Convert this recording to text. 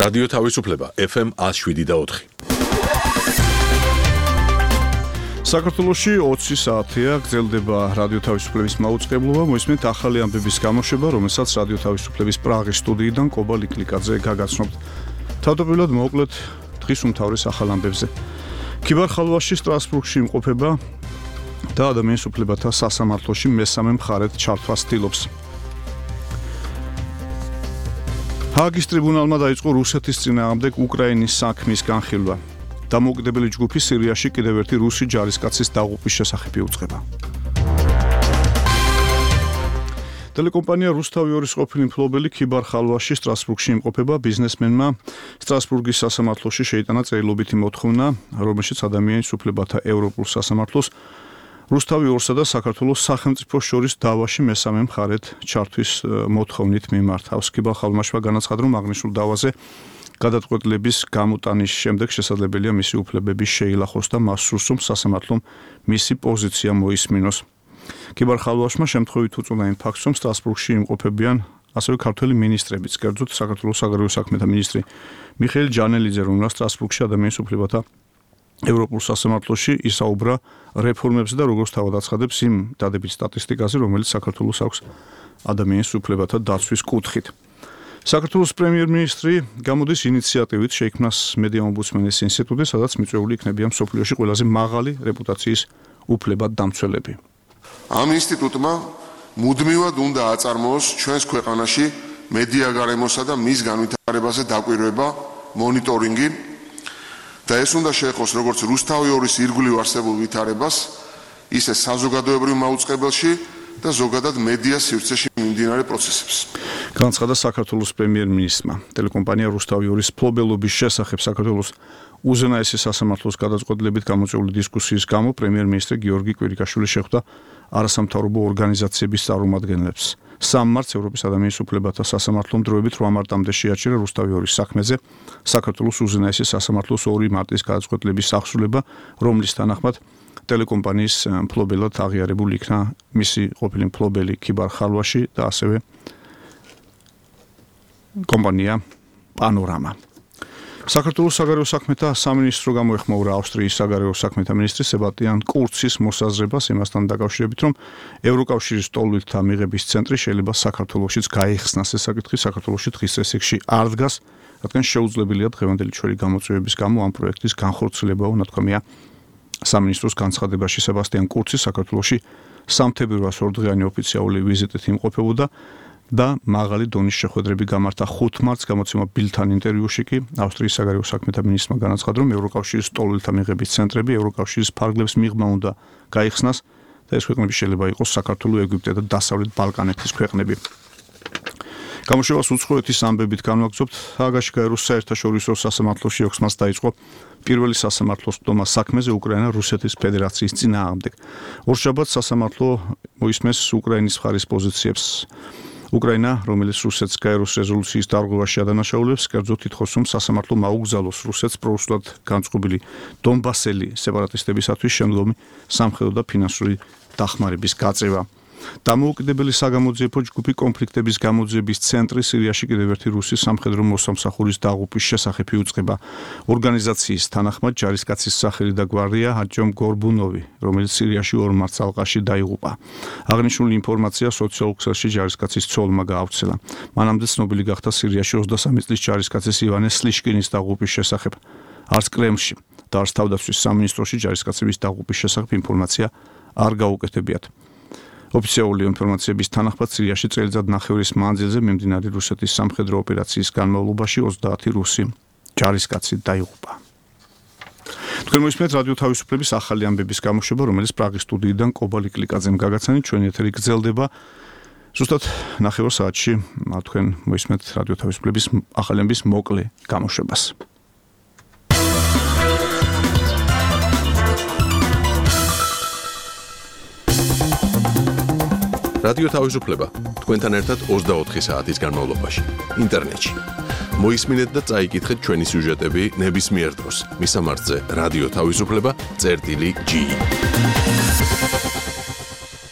რადიო თავისუფლება FM 107.4. საქართველოში 20 საათია გრძელდება რადიო თავისუფლების მაუწყებლობა. მოისმენთ ახალი ამბების გამოშვება, რომელსაც რადიო თავისუფლების პრაღის სტუდიიდან კობა ლიკლიკაძე გაგაცნობთ. თავდაპირველად მოუკლედ დღის უმთავრეს ახალ ამბებზე. ქიბარ-ხალვაში სტრასბურგში იმყოფება და ადამიანის უფლებათა სასამართლოში მესამე მხარედ ჩართვას ცდილობს. ჰააგის ტრიბუნალმა დაიწყო რუსეთის წინააღმდეგ უკრაინის საქმის განხილვა. დამოუკიდებელი ჯგუფი სირიაში კიდევ ერთი რუსი ჯარისკაცის დაღუპვის შესახებ იუწყება. ტელეკომპანია რუსთავი 2-ის ყოფილი მფლობელი ქიბარ-ხალვაში სტრასბურგში იმყოფება. ბიზნესმენმა სტრასბურგის სასამართლოში შეიტანა წერილობითი მოთხოვნა, რომელშიც ადამიანის უფლებათა ევროპულ სასამართლოს რუსთავი 2-სა და საქართველოს სახელმწიფოს შორის დავაში მესამე მხარედ ჩართვის მოთხოვნით მიმართავს. ქიბარ-ხალვაშმა განაცხადა, რომ აღნიშნულ დავაზე გადაწყვეტილების გამოტანის შემდეგ შესაძლებელია მისი უფლებების შეილახოს და მას სურს, რომ სასამართლომ მისი პოზიცია მოისმინოს. ქიბარ-ხალვაშმა შემთხვევით უწოდა იმ ფაქტს, რომ სტრასბურგში იმყოფებიან ასევე ქართველი მინისტრებიც, კერძოდ საქართველოს საგარეო საქმეთა მინისტრი მიხეილ ჯანელიძე, რომელსაც სტრასბურგში ადამიანის უფლებათა ევროპულ სასამართლოში ისაუბრა რეფორმებზე და როგორც თავად აცხადებს იმ დადებით სტატისტიკაზე, რომელიც საქართველოს აქვს ადამიანის უფლებათა დაცვის კუთხით. საქართველოს პრემიერ-მინისტრი გამოდის ინიციატივით შეიქმნას მედია ომბუდსმენის ინსტიტუტი, სადაც მიწვეული იქნებიან მსოფლიოში ყველაზე მაღალი რეპუტაციის უფლებადდამცველები. ამ ინსტიტუტმა მუდმივად უნდა აწარმოოს ჩვენს ქვეყანაში მედია გარემოსა და მის განვითარებაზე დაკვირვება, მონიტორინგი და ეს უნდა შეეხოს როგორც რუსთავი 2-ის ირგვლივ არსებულ ვითარებას, ისე საზოგადოებრივ მაუწყებელში და ზოგადად მედია სივრცეში მიმდინარე პროცესებს. განაცხადა საქართველოს პრემიერ-მინისტრმა. ტელეკომპანია რუსთავი 2-ის მფლობელობის შესახებ საქართველოს უზენაესი სასამართლოს გადაწყვეტილებით გამოწვეული დისკუსიის გამო პრემიერ-მინისტრი გიორგი კვირიკაშვილი შეხვდა არასამთავრობო ორგანიზაციების წარმომადგენლებს. 3 მარტს ევროპის ადამიანის უფლებათა სასამართლომ დროებით 8 მარტამდე შეაჩერა რუსთავი 2-ის საქმეზე საქართველოს უზენაესი სასამართლოს 2 მარტის გადაწყვეტილების აღსრულება, რომლის თანახმად ტელეკომპანიის მფლობელად აღიარებული იქნა მისი ყოფილი მფლობელი ქიბარ-ხალვაში და ასევე კომპანია პანორამა. საქართველოს საგარეო საქმეთა სამინისტრო გამოეხმაურა ავსტრიის საგარეო საქმეთა მინისტრის სებასტიან კურცის მოსაზრებას იმასთან დაკავშირებით, რომ ევროკავშირის ტოლვილთა მიღების ცენტრი შეიძლება საქართველოშიც გაიხსნას. ეს საკითხი საქართველოში დღის წესრიგში არ დგას, რადგან შეუძლებელია დღევანდელი ჩვენი გამოწვევების გამო ამ პროექტის განხორციელება, ნათქვამია სამინისტროს განცხადებაში. სებასტიან კურცი საქართველოში სამთებერვალოს 2 დღიანი ოფიციალური ვიზიტით იმყოფებოდა და მაღალი დონის შეხვედრები გამართა. 5 მარტს გამოცემა ბილთან ინტერვიუში კი ავსტრიის საგარეო საქმეთა მინისტრმა განაცხადა, რომ ევროკავშირის ტოლვილთა მიღების ცენტრები ევროკავშირის ფარგლებს მიღმა უნდა გაიხსნას და ეს ქვეყნები შეიძლება იყოს საქართველო, ეგვიპტე და დასავლეთ ბალკანეთის ქვეყნები. გამოშვებას უცხოეთის ამბებით განვაგრძობთ. ჰააგაში გაეროს საერთაშორისო სასამართლოში 6 მარტს დაიწყო პირველი სასამართლოს დომა საქმეზე უკრაინა-რუსეთის ფედერაციის წინააღმდეგ. ორშაბათს სასამართლო მოისმენს უკრაინის მხარის პოზიციებს. უკრაინა, რომელიც რუსეთს გაეროს რეზოლუციის დარღვევაში ადანაშაულებს, კერძოდ თითხოვს, რომ სასამართლომ აუგზავნოს რუსეთს პრორუსულად განწყობილი დონბასელი სეპარატისტებისათვის შემდგომი სამხედრო და ფინანსური დახმარების გაწევა. დამოუკიდებელი საგამოძიებო ჯგუფი კონფლიქტების გამოძიების ცენტრი სირიაში კიდევ ერთი რუსი სამხედრო მოსამსახურის დაღუპვის შესახებ იუწყება. ორგანიზაციის თანახმად ჯარისკაცის სახელი და გვარია აჯომ გორბუნოვი, რომელიც სირიაში 2 მარტს ალყაში დაიღუპა. აღნიშნული ინფორმაცია სოციალურ ქსელში ჯარისკაცის ცოლმა გაავრცელა. მანამდე ცნობილი გახდა სირიაში 23 წლის ჯარისკაცის ივანე სლიშკინის დაღუპვის შესახებ. არც კრემლში და არც თავდაცვის სამინისტროში ჯარისკაცების დაღუპვის შესახებ ინფორმაცია არ გაუკეთებიათ. ოფიციალური ინფორმაციების თანახმად სირიაში წელიწად ნახევრის მანძილზე მიმდინარე რუსეთის სამხედრო ოპერაციის განმავლობაში 30 რუსი ჯარისკაცი დაიღუპა. თქვენ მოისმენთ რადიო თავისუფლების ახალი ამბების გამოშვება, რომელიც პრაღის სტუდიიდან კობა ლიკლიკაძემ გაგაცანით. ჩვენი ეთერი გრძელდება ზუსტად ნახევარ საათში. თქვენ მოისმენთ რადიო თავისუფლების ახალი ამბების მოკლე გამოშვებას. რადიო თავისუფლება თქვენთან ერთად 24 საათის განმავლობაში ინტერნეტში. მოისმინეთ და წაიკითხეთ ჩვენი სიუჟეტები ნებისმიერ დროს. მისამართზე რადიო თავისუფლება.gi